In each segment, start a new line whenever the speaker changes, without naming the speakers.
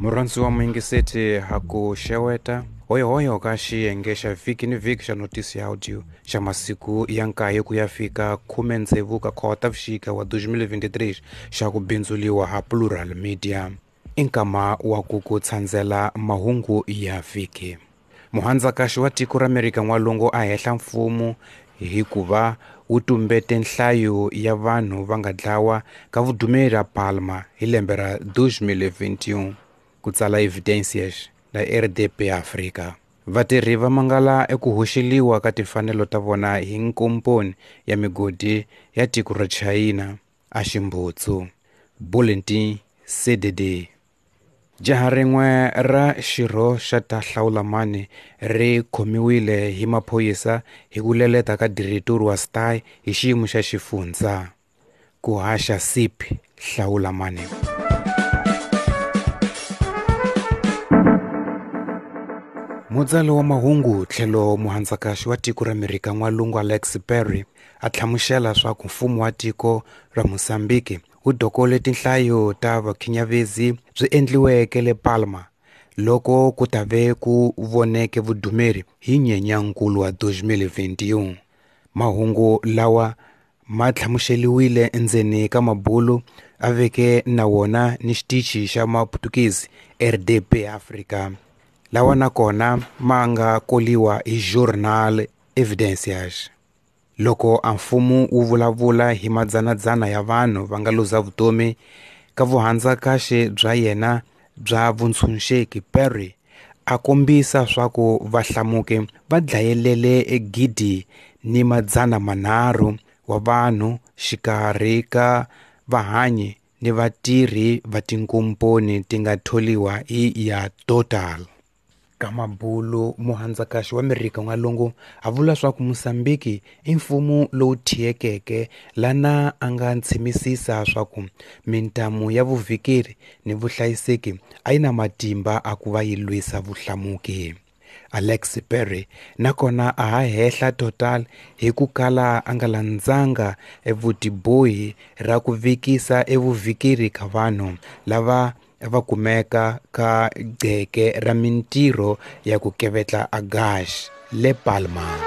Murhandzi wa muyingiseti ha ku xeweta hoyohoyo ka xiyenge xa vhiki ni vhiki xa notisi ya audio xa masiku ya nkaye ku ya fika 16 ka Khotavuxika wa 2023 xa ku bindzuliwa ha Plural Media. I nkama wa ku ku tshandzela mahungu ya vhiki. Muhandzakaxi wa tiko ra Amerika N'walungu a hehla mfumo hikuva wu tumbete nhlayo ya vanhu va nga dlawa ka vudumeri ra Palma hi lembe ra 2021, ku tsala Evidências na RDP Africa. Vatirhi va mangala eku hoxeliwa ka timfanelo ta vona hi nkomponi ya migodi ya tiko ra China a Ximbutsu. Bulletin CDD. Jaha rin'we ra xirho xa ta Hlawulamani ri khomiwile hi maphorisa hi ku leleta ka diretori wa STI hi xiyimo xa xifundza. Ku haxa SIP Hlawulamani. Mutsari wa mahungu tlhelo muhandzakaxi wa tiko ra Amerika N'walungu Alex Perry a hlamusela swa ku mfumo wa tiko ra Mozambique wu dokole tinhlayo ta vakhinyavezi byi endliweke le Palma loko ku ta ve ku voneke vudumeri hi Nyenyankulu wa 2021. Mahungu lawa ma hlamuseliwile endzeni ka mabulu a veke na wona ni xitichi xa Maputukezi RDP Africa, lawa nakona ma nga koliwa hi Journal Evidências. Loko a mfumo wu vulavula hi madzanadzana ya vanhu va nga luza vutomi ka vuhandzakaxi bya yena bya vuntshunxeki, Perry a kombisa swa ku vahlamuki va dlayelele 1,300 wa vanhu xikarhi ka vahanyi ni vatirhi va tinkomponi ti nga tholiwa hi ya Total. Ka mabulu muhandzakaxi wa Amerika N'walungu a vula swa ku Mozambique i mfumo lowu thiyekeke lana a nga ntshimisisa swa ku mintamu ya vuvhikeri ni vuhlayiseki a yi na matimba a ku va yi lwisa vuhlamuki. Alex Perry nakona a ha hehla Total hi ku kala a nga landzanga evutibohi ra ku vikisa evuvhikeri ka vanhu lava va kumeka ka gceke ra mintirho ya ku kevetla a gas le Palma.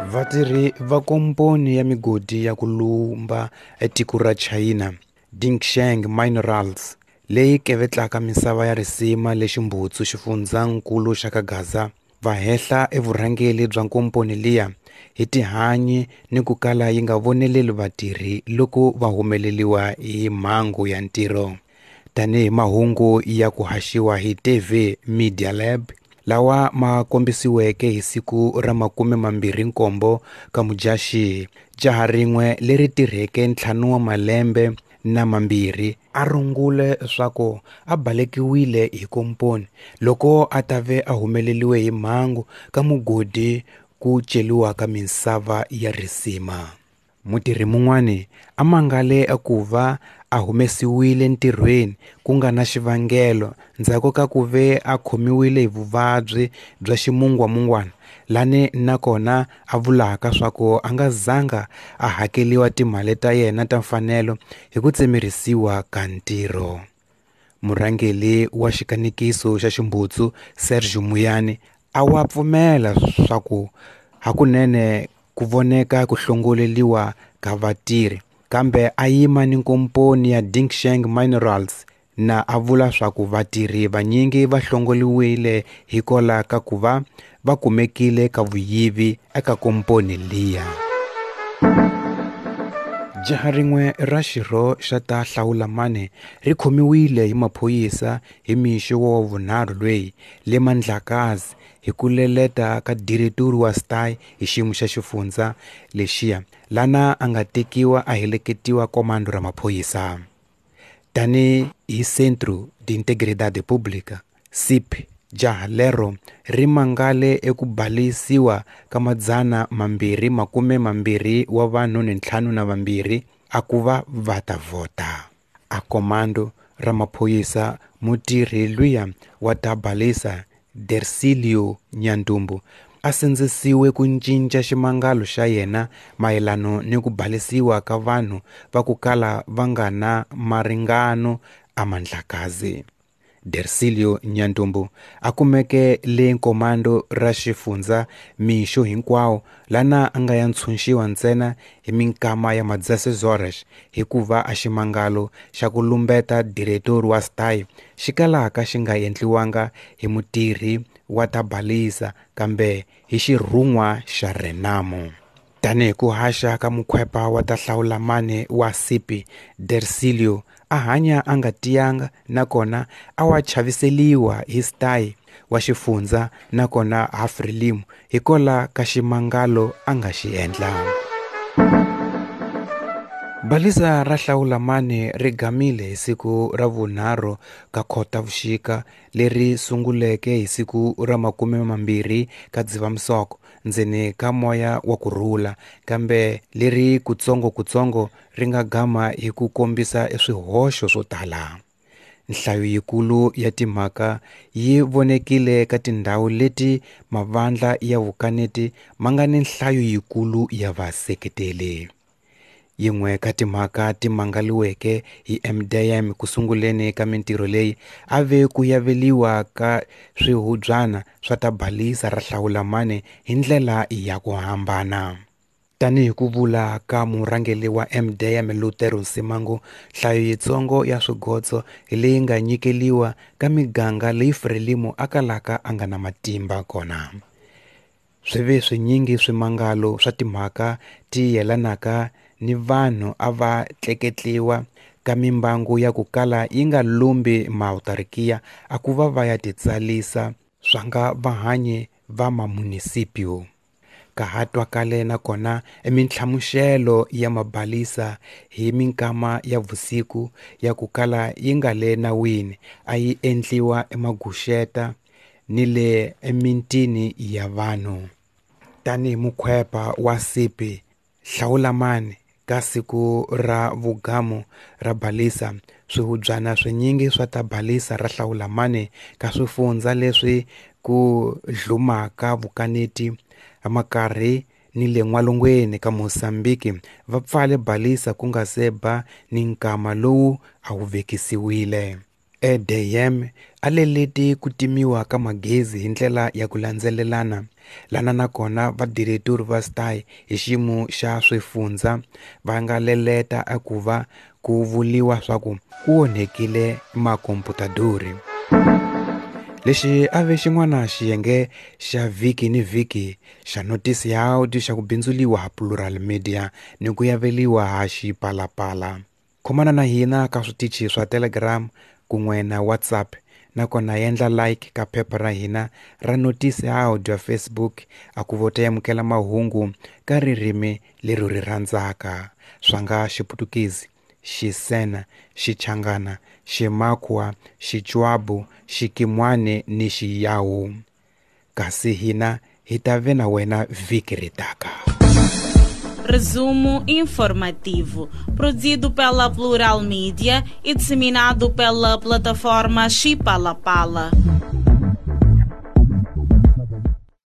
Vatirhi va komponi ya migodi ya ku lumba etiko ra China Dingsheng Minerals leyi kevetlaka misava ya risima le Ximbutsu xifundzankulu xa ka Gaza va hehla evurhangeli bya nkomponi liya hi tihanyi ni ku kala yi nga voneleli vatirhi loko va humeleliwa hi mhangu ya ntirho. Tanihi mahungu ya ku haxiwa hi TV Media Lab lawa ma kombisiweke hi siku ra 27 ka Mudyaxihi, jaha rin'we leri tirheke 5 wa malembe na mambirhi a rungule swa ku a balekiwile hi komponi loko a ta ve a humeleliwe hi mhangu ka mugodi ku celiwa ka misava ya risima. Mutirhi mun'wani a mangale ku va a humesiwile ntirhweni ku nga na xivangelo ndzhaku ka ku ve a khomiwile hi vuvabyi bya ximungwamungwana, lani nakona a vulaka swa ku a nga zanga a hakeliwa timali ta yena ta mfanelo hi ku tsemerisiwa ka ntirho. Murhangeri wa xikanekiso xa Ximbutsu Sergio Muyani a wa pfumela swa ku hakunene ku voneka ku hlongoleliwa ka vatirhi, kambe a yima ni nkomponi ya Dingsheng Minerals na a vula swa ku vatirhi vanyingi va hlongoliwile hikola ka ku va va kumekile ka vuyivi eka komponi liya. Jaha rin'we ra xirho xa ta Hlawulamani ri khomiwile hi maphorisa hi mixo wa vunharhu lweyi le Mandlakazi hi ku leleta ka diretori wa STI hi xiyimo xa xifundza lexiya, lana a nga tekiwa a heleketiwa komando ra maphorisa. Tani hi Centro de Integridade Pública, CIP, jaha lero ri mangale eku balisiwa ka 222 wa vanhu ni 52 a ku va va ta vhota. A komando ra maphorisa mutirhi luya wa ta balisa Dercilio Nyandumbu a sindzisiwe ku cinca ximangalo xa yena mayelano ni ku balisiwa ka vanhu va ku kala va nga na maringano a Mandlakazi. Dercilio Nyantumbu a kumeke le nkomando ra xifundza mixo hinkwawo lana a nga ya ntshunxiwa ntsena hi minkama ya ma-16 horas hikuva a ximangalo xa ku lumbeta diretori wa STAI xi kalaka xi nga endliwanga hi mutirhi wa ta balisa kambe hi xirhun'wa xa Renamo. Tanihi ku haxa ka mukhwepa wa ta hlawulamani wa Sipi, Dercilio a hanya a nga tiyanga nakona a wa chaviseliwa hi STAI wa xifundza nakona ha Frelimo hikola ka ximangalo a nga xi endla. Balisa ra hlawulamani ri gamile hi siku ra vunharhu ka Khotavuxika leri sunguleke hi siku ra 20 ka Dzivamisoko ndzeni ka moya wa kurhula, kambe leri kutsongokutsongo ri nga gama hi ku kombisa swihoxo swo tala. Nhlayo yikulu ya timhaka yi vonekile ka tindhawu leti mavandla ya vukaneti ma nga ni nhlayo yikulu ya vaseketeli. Yin'we ka timhaka ti mangaliweke hi MDM ku sunguleni ka mintirho leyi a ve ku yaveliwa ka swihubyana swa ta balisa ra hlawulamani hi ndlela ya ku hambana. Tanihi ku vula ka murhangeri wa MDM Lutero Nsimangu, nhlayo yitsongo ya swigotso hi leyi nga nyikeliwa ka miganga leyi Frelimo a kalaka a nga na matimba kona. Swi ve swinyingi swimangalo swa timhaka ti yelanaka ni vanhu a va tleketliwa ka mimbangu ya ku kala yi nga lumbi mautarikiya a ku va va ya titsalisa swa nga vahanyi va mamunisipio. Ka ha twakale nakona emintlhamuxelo ya mabalisa hi minkama ya vusiku ya ku kala yi nga le nawini a yi endliwa emaguxeta ni le emitini ya vanhu. Tanihi mukhwepa wa Sipi hlawulamani ka siku ra vugamu ra balisa, swihubyana swinyingi swa ta balisa ra hlawulamani ka swifundza leswi ku dlumaka vukaneti makarhi ni le n'walungwini ka Mozambiki va pfale balisa ku nga se ba ni nkama lowu a wu vekisiwile. EDM a leleti ku timiwa ka magezi hi ndlela ya ku landzelelana lana nakona vadiretori va STAI hi xiyimo xa swifundza va nga leleta a ku va ku vuliwa swa ku ku onhekile makomputadori. Lexi a ve xin'wana xiyenge xa vhiki ni vhiki xa notisi ya audio xa ku bindzuliwa ha Plural Media ni ku yaveliwa ha Xipalapala. Khomana na hina ka switichi swa Telegram kun'we na WhatsApp, nakona endla like ka phepha ra hina ra notisi ya audio ya Facebook a ku vota yamukela mahungu ka ririmi leri ri rhandzaka swa nga Xiputukezi, Xisena, Xichangana, Ximakwa, Xichwabu, Xikimwane ni Xiyawu. Kasi hina hi ta ve na wena vhiki ri taka.
Resumo informativo, produzido pela Plural Mídia e disseminado pela plataforma Xipalapala.